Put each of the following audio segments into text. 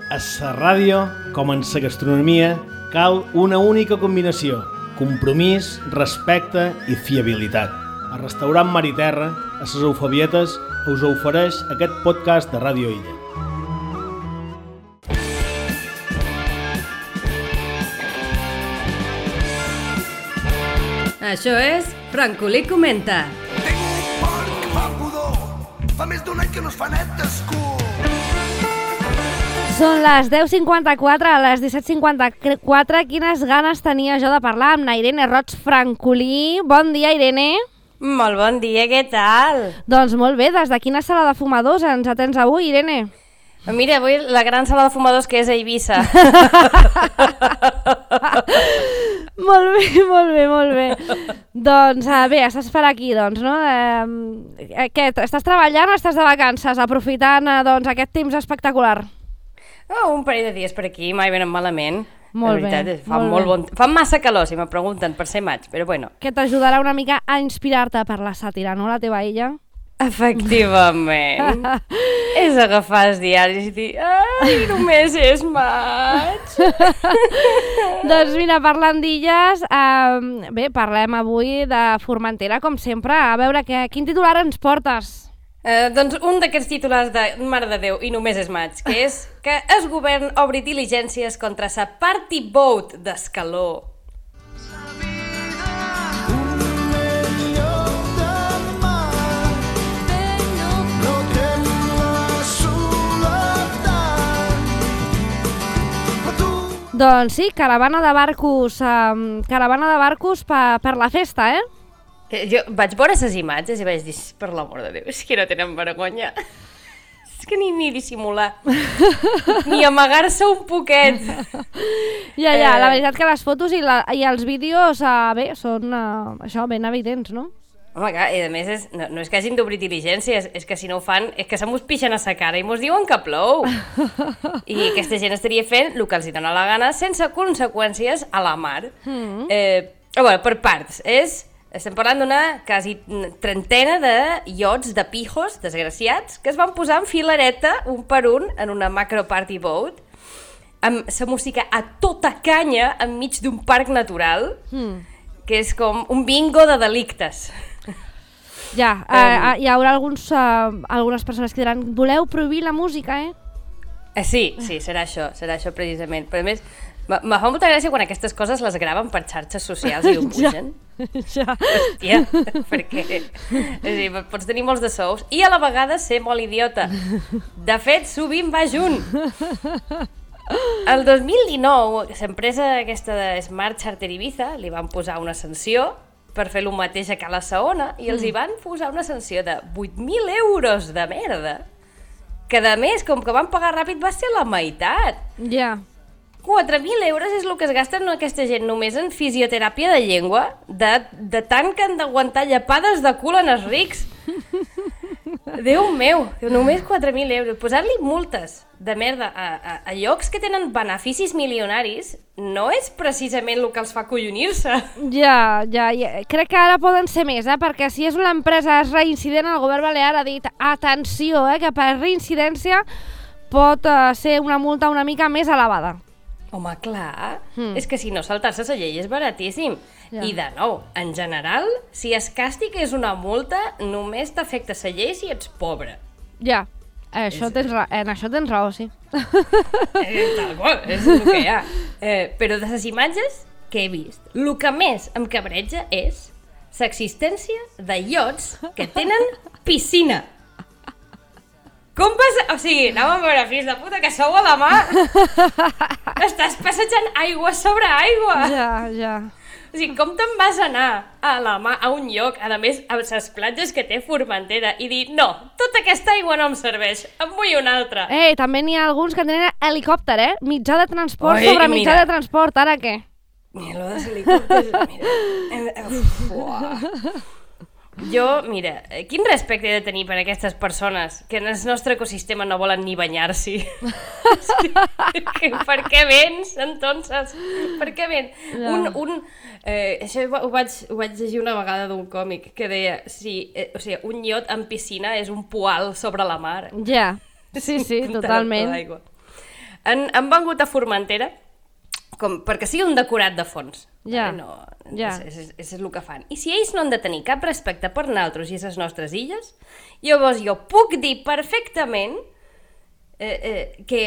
A la ràdio, com en la gastronomia, cal una única combinació: compromís, respecte i fiabilitat. El restaurant Mar i Terra, a les Eufabietes, us ofereix aquest podcast de Ràdio Illa. Això és Francolí Comenta. Tinc un porc que fa pudor. Fa més d'un any que no es fa net d'escur. Són les 10:54, a les 17:54. Quines ganes tenia jo de parlar amb la Irene Roig Francolí. Bon dia, Irene. Molt bon dia, què tal? Doncs molt bé, des de quina sala de fumadors ens atens avui, Irene? Mira, avui la gran sala de fumadors que és a Eivissa. Molt bé, molt bé, molt bé. Doncs bé, estàs per aquí, doncs, no? Què, estàs treballant o estàs de vacances, aprofitant doncs, aquest temps espectacular? Oh, un parell de dies per aquí, mai venen malament. Molt la veritat, bé, fa molt molt bé. bon... Fa massa calor, si me pregunten, per ser maig, però bueno. Que t'ajudarà una mica a inspirar-te per la sàtira, no, la teva illa? Efectivament. És agafar els diaris i dir ai, només és maig. Doncs mira, parlant d'illes, bé, parlem avui de Formentera, com sempre. A veure, quin titular ens portes? Doncs un d'aquests titulars de Mare de Déu i només és maig, que és que el govern obri diligències contra sa party boat d'Escaló. Doncs sí, caravana de barcos per la festa, eh? Jo vaig veure les imatges i vaig dir, per l'amor de Déu, és que no tenen vergonya. És que ni dissimular, ni amagar-se un poquet. Ja, la veritat que les fotos i els vídeos, bé, són això, ben evidents, no? Home, clar, i a més no és que hagin d'obrir diligències, és que si no ho fan és que se mos pixen a sa cara i mos diuen que plou. I aquesta gent estaria fent el que els dona la gana sense conseqüències a la mar. Bueno, per parts, estem parlant d'una quasi trentena de iots, de pijos desgraciats, que es van posar en filareta, un per un, en una macro party boat, amb la música a tota canya enmig d'un parc natural, que és com un bingo de delictes. Ja, hi haurà algunes persones que diran, voleu prohibir la música, eh? Sí, serà això precisament. Però a més, me fa molta gràcia quan aquestes coses les graven per xarxes socials i ho pugen. Ja. Hòstia, perquè pots tenir molts de sous i a la vegada ser molt idiota. De fet, sovint va junt. El 2019, l'empresa aquesta de Smart Charter Ibiza li van posar una sanció per fer el mateix a Cala Saona i els hi van posar una sanció de 8.000 euros de merda, que a més, com que van pagar ràpid, va ser la meitat. Ja. 4.000 euros és el que es gasten aquesta gent només en fisioteràpia de llengua, de tant que han d'aguantar llepades de cul en els rics. Déu meu, només 4.000 euros. Posar-li multes de merda a llocs que tenen beneficis milionaris no és precisament el que els fa collonir-se. Ja. Crec que ara poden ser més, perquè si és una empresa reincident, el govern balear ha dit atenció, que per reincidència pot ser una multa una mica més elevada. Home, clar, és que si no saltar-se la llei és baratíssim. Ja. I de nou, en general, si es càstig és una multa, només t'afecta la llei si ets pobre. Ja, en això tens raó, sí. Tal qual, és el que hi ha. Però de les imatges que he vist, el que més em cabreja és l'existència de iots que tenen piscina. Com vas... O sigui, anàvem a veure, fills de puta, que sou a la mar. Estàs passejant aigua sobre aigua. Ja. O sigui, com te'n vas anar a la mar, a un lloc, a més, a les platges que té Formentera, i dir, no, tota aquesta aigua no em serveix, em vull una altra. També n'hi ha alguns que tenen helicòpter, mitjà de transport sobre mitjà de transport, ara què? Mira, lo dels helicòpters, mira. Jo, mira, quin respecte he de tenir per aquestes persones que en el nostre ecosistema no volen ni banyar-s'hi? Per què vens, entonces? Per què vens? No. Això ho vaig llegir una vegada d'un còmic que deia, o sigui, un iot en piscina és un poal sobre la mar. Ja, sí, totalment. han vengut a Formentera perquè sigui un decorat de fons. Ja, És el que fan. I si ells no han de tenir cap respecte per nosaltres i les nostres illes, llavors jo puc dir perfectament que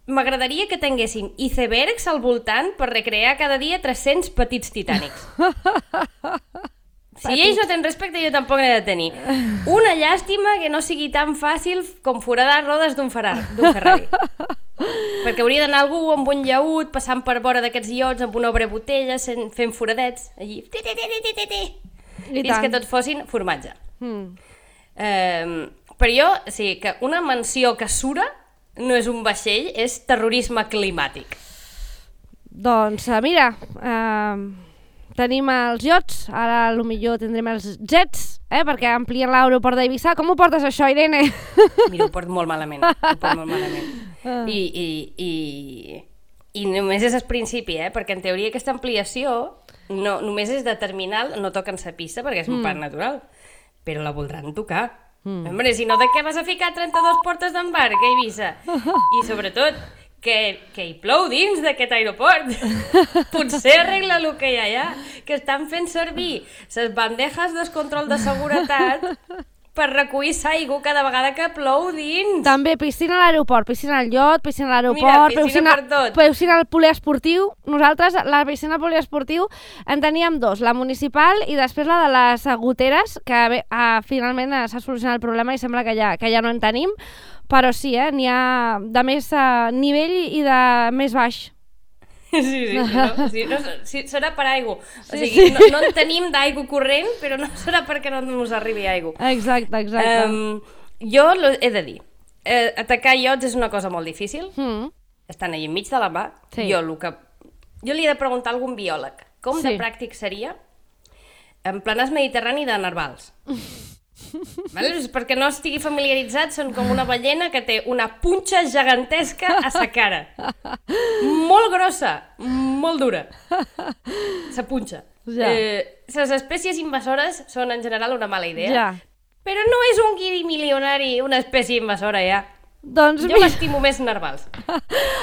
m'agradaria que tinguéssim icebergs al voltant per recrear cada dia 300 petits titànics. Si ells no tenen respecte, jo tampoc n'he de tenir. Una llàstima que no sigui tan fàcil com foradar rodes d'un Ferrari. Perquè hauria d'anar algú amb un llaüt, passant per vora d'aquests iots amb una obra botella, fent foradets, allí, fins que tot fossin formatge. Però jo, sí, que una mansió que sura no és un vaixell, és terrorisme climàtic. Doncs mira, tenim els iots, ara potser tindrem els jets, perquè amplien l'aeroport d'Eivissa. Com ho portes això, Irene? Mira, ho porto molt malament, I només és el principi, perquè en teoria aquesta ampliació només és de terminal, no toquen sa pista perquè és un parc natural, però la voldran tocar. Hombre, si no, de què vas a ficar 32 portes d'embarc a Eivissa? I sobretot, que hi plou dins d'aquest aeroport. Potser arregla el que hi ha allà, que estan fent servir les bandejes del control de seguretat per recollir aigua cada vegada que plou dins. També piscina a l'aeroport, piscina al llot, piscina a l'aeroport, piscina al poliesportiu. Nosaltres, la piscina al poliesportiu, en teníem 2, la municipal i després la de les goteres, que finalment s'ha solucionat el problema i sembla que ja no en tenim, però sí, n'hi ha de més nivell i de més baix. Sí, serà per aigua. O sigui, no en tenim d'aigua corrent, però no serà perquè no ens arribi aigua. Exacte. Jo he de dir, atacar iots és una cosa molt difícil. Estan allà enmig de la mà. Jo li he de preguntar a algun biòleg com de pràctic seria en planars mediterrani de narvals. Perquè no estigui familiaritzat, són com una ballena que té una punxa gegantesca a sa cara, molt grossa, molt dura, sa punxa. Les espècies invasores són en general una mala idea, però no és un guiri milionari una espècie invasora ja. Doncs jo m'estimo més narvals.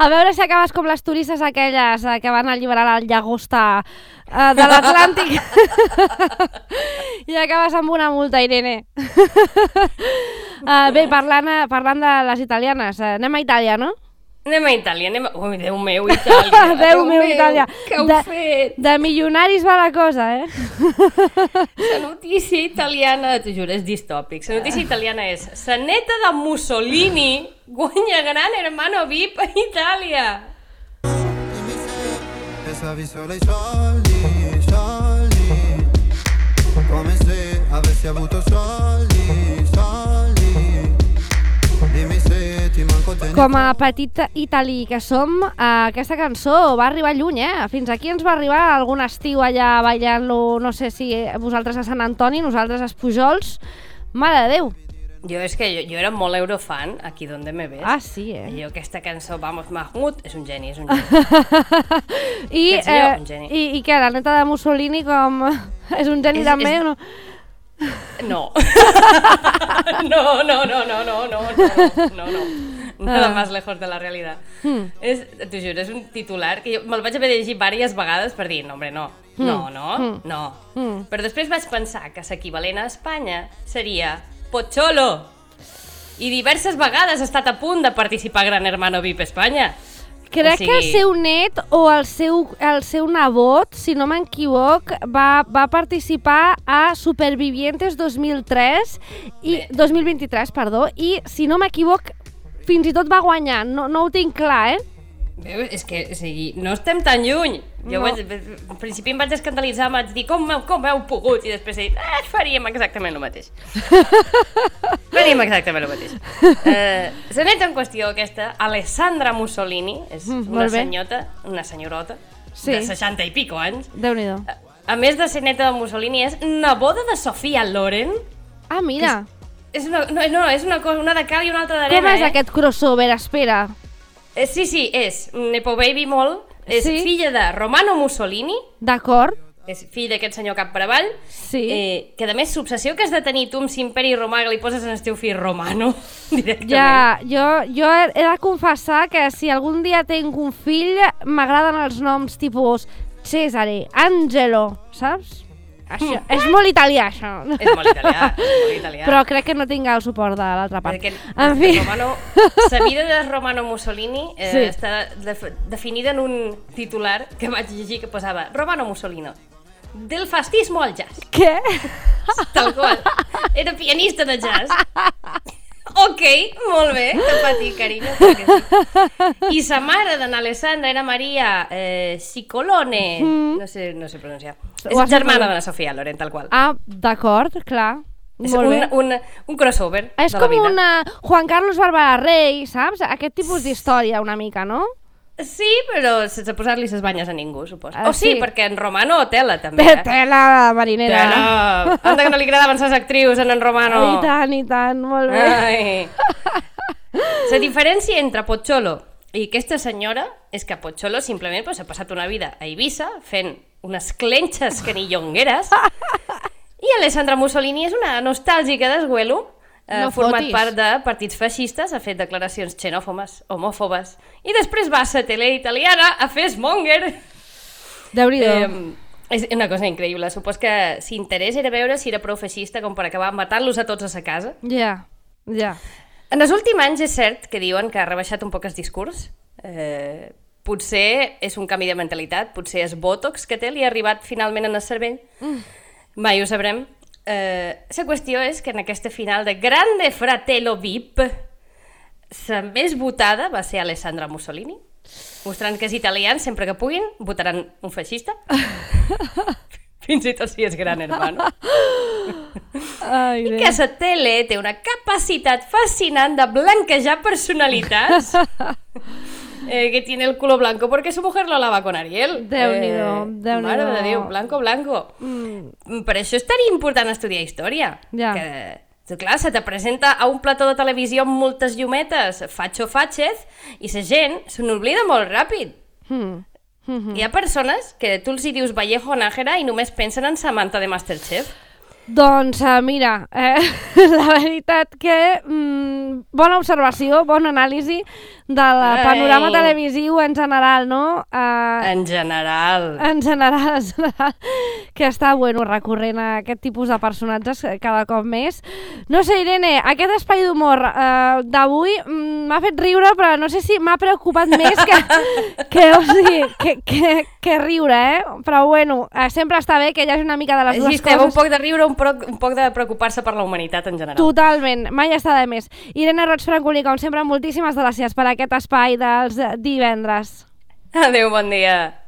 A veure si acabes com les turistes aquelles que van alliberar la llagosta de l'Atlàntic i acabes amb una multa, Irene. Bé, parlant de les italianes, anem a Itàlia, no? Anem a Itàlia, Ui, Déu meu, Itàlia. Déu meu, Itàlia. Què heu fet? De milionaris va la cosa, La notícia italiana, t'ho juro, és distòpic. La notícia italiana és: la neta de Mussolini guanya Gran Hermano VIP a Itàlia. Come se avessi avuto soldi, dimmi se ti manco te ne... Com a petit italí que som, aquesta cançó va arribar lluny, Fins aquí ens va arribar algun estiu allà ballant-lo, no sé si vosaltres a Sant Antoni, nosaltres a Pujols. Mare de Déu! Jo és que jo era molt eurofan, aquí donde me ves. Ah, sí, Jo aquesta cançó, vamos, Mahmoud, és un geni, I què, la neta de Mussolini com... és un geni també? No. No. Nada más lejos de la realidad. T'ho juro, és un titular que jo me'l vaig haver de llegir diverses vegades per dir, no, hombre, no. Però després vaig pensar que l'equivalent a Espanya seria Pocholo. I diverses vegades ha estat a punt de participar a Gran Hermano VIP Espanya. Crec que el seu net o el seu nebot, si no m'equivoc, va participar a Supervivientes 2023, perdó, i si no m'equivoc, fins i tot va guanyar. No ho tinc clar, És que, o sigui, no estem tan lluny. Jo al principi em vaig escandalitzar, em vaig dir, com heu pogut? I després he dit, faríem exactament el mateix. La neta en qüestió aquesta, Alessandra Mussolini, és una senyorota de 60 i pico anys. Déu-n'hi-do. A més de ser neta de Mussolini, és neboda de Sofia Loren. Ah, mira. És una cosa, una de cal i una altra d'arena. Com és aquest crossover? Espera. Sí, és Nepo Baby molt, és filla de Romano Mussolini. D'acord. és fill d'aquest senyor cap per avall, Sí. que a més l'obsessió que has de tenir tu amb l'imperi romà que li poses en el teu fill romano, directament. Ja, jo he de confessar que si algun dia tinc un fill, m'agraden els noms tipus Cesare, Angelo, saps? Això, és molt italià, això. És molt italià, molt italià. Però crec que no tinc el suport de l'altra part. Perquè En fi, la vida de Romano Mussolini Sí. està definida en un titular que vaig llegir que posava Romano Mussolini, del fascismo al jazz. què? Tal qual. Era pianista de jazz. Ok, molt bé, que patir, carinyo. Sí. I sa mare d'en Alessandra era Maria Cicolone. No sé pronunciar. Ho has És germana dit de la Sofia Loren, tal qual. Ah, d'acord, clar. És Molt bé. un crossover És de la com vida. una Juan Carlos Bárbara Rey, saps? Aquest tipus d'història una mica, no? Sí, però sense posar-li ses banyes a ningú, suposo. Ah, Sí, sí. perquè en Romano tela, també. Tela marinera. Tela. Anda que no li agradaven ses actrius en Romano. I tant, molt bé. Ai. La diferència entre Pocholo i aquesta senyora és que Pocholo simplement s'ha passat una vida a Eivissa fent unes clenxes que ni llongueres i Alessandra Mussolini és una nostàlgica d'esguelo. No Format fotis. part de partits feixistes, ha fet declaracions xenòfobes, homòfobes, i després va a la tele italiana a fer Smonger. Déu-n'hi-do. És una cosa increïble. Supos que l'interès era veure si era prou feixista com per acabar matant-los a tots a sa casa. Ja. En els últims anys és cert que diuen que ha rebaixat un poc el discurs. Potser és un canvi de mentalitat, potser és Botox que té, li ha arribat finalment en el cervell. Mai ho sabrem. La qüestió és que en aquesta final de Grande Fratello VIP la més votada va ser Alessandra Mussolini, mostrant que els italians, sempre que puguin, votaran un feixista. Fins i tot si és gran hermano. Ai, I que la tele té una capacitat fascinant de blanquejar personalitats. Que tiene el culo blanco porque su mujer lo lava con Ariel. Déu-n'hi-do, Déu-n'hi-do. Mare de Déu, blanco. Per això és tan important estudiar història. Ja. Que, clar, se te presenta a un plató de televisió amb moltes llumetes, Facho Fàchez, i la gent se n'oblida molt ràpid. Hi ha persones que tu els hi dius Vallejo Nájera i només pensen en Samantha de Masterchef. Doncs mira, la veritat que bona observació, bona anàlisi del panorama televisiu en general, no? En general. En general, que està bueno recurrent a aquest tipus de personatges cada cop més. No sé, Irene, aquest espai d'humor d'avui m'ha fet riure, però no sé si m'ha preocupat més que riure, Però bueno, sempre està bé que hi hagi una mica de les dues Existeix coses. un poc de riure, un poc de preocupar-se per la humanitat en general. Totalment, mai està de més. Irene Roig Francolí, com sempre, moltíssimes gràcies per aquest espai dels divendres. Adéu, bon dia.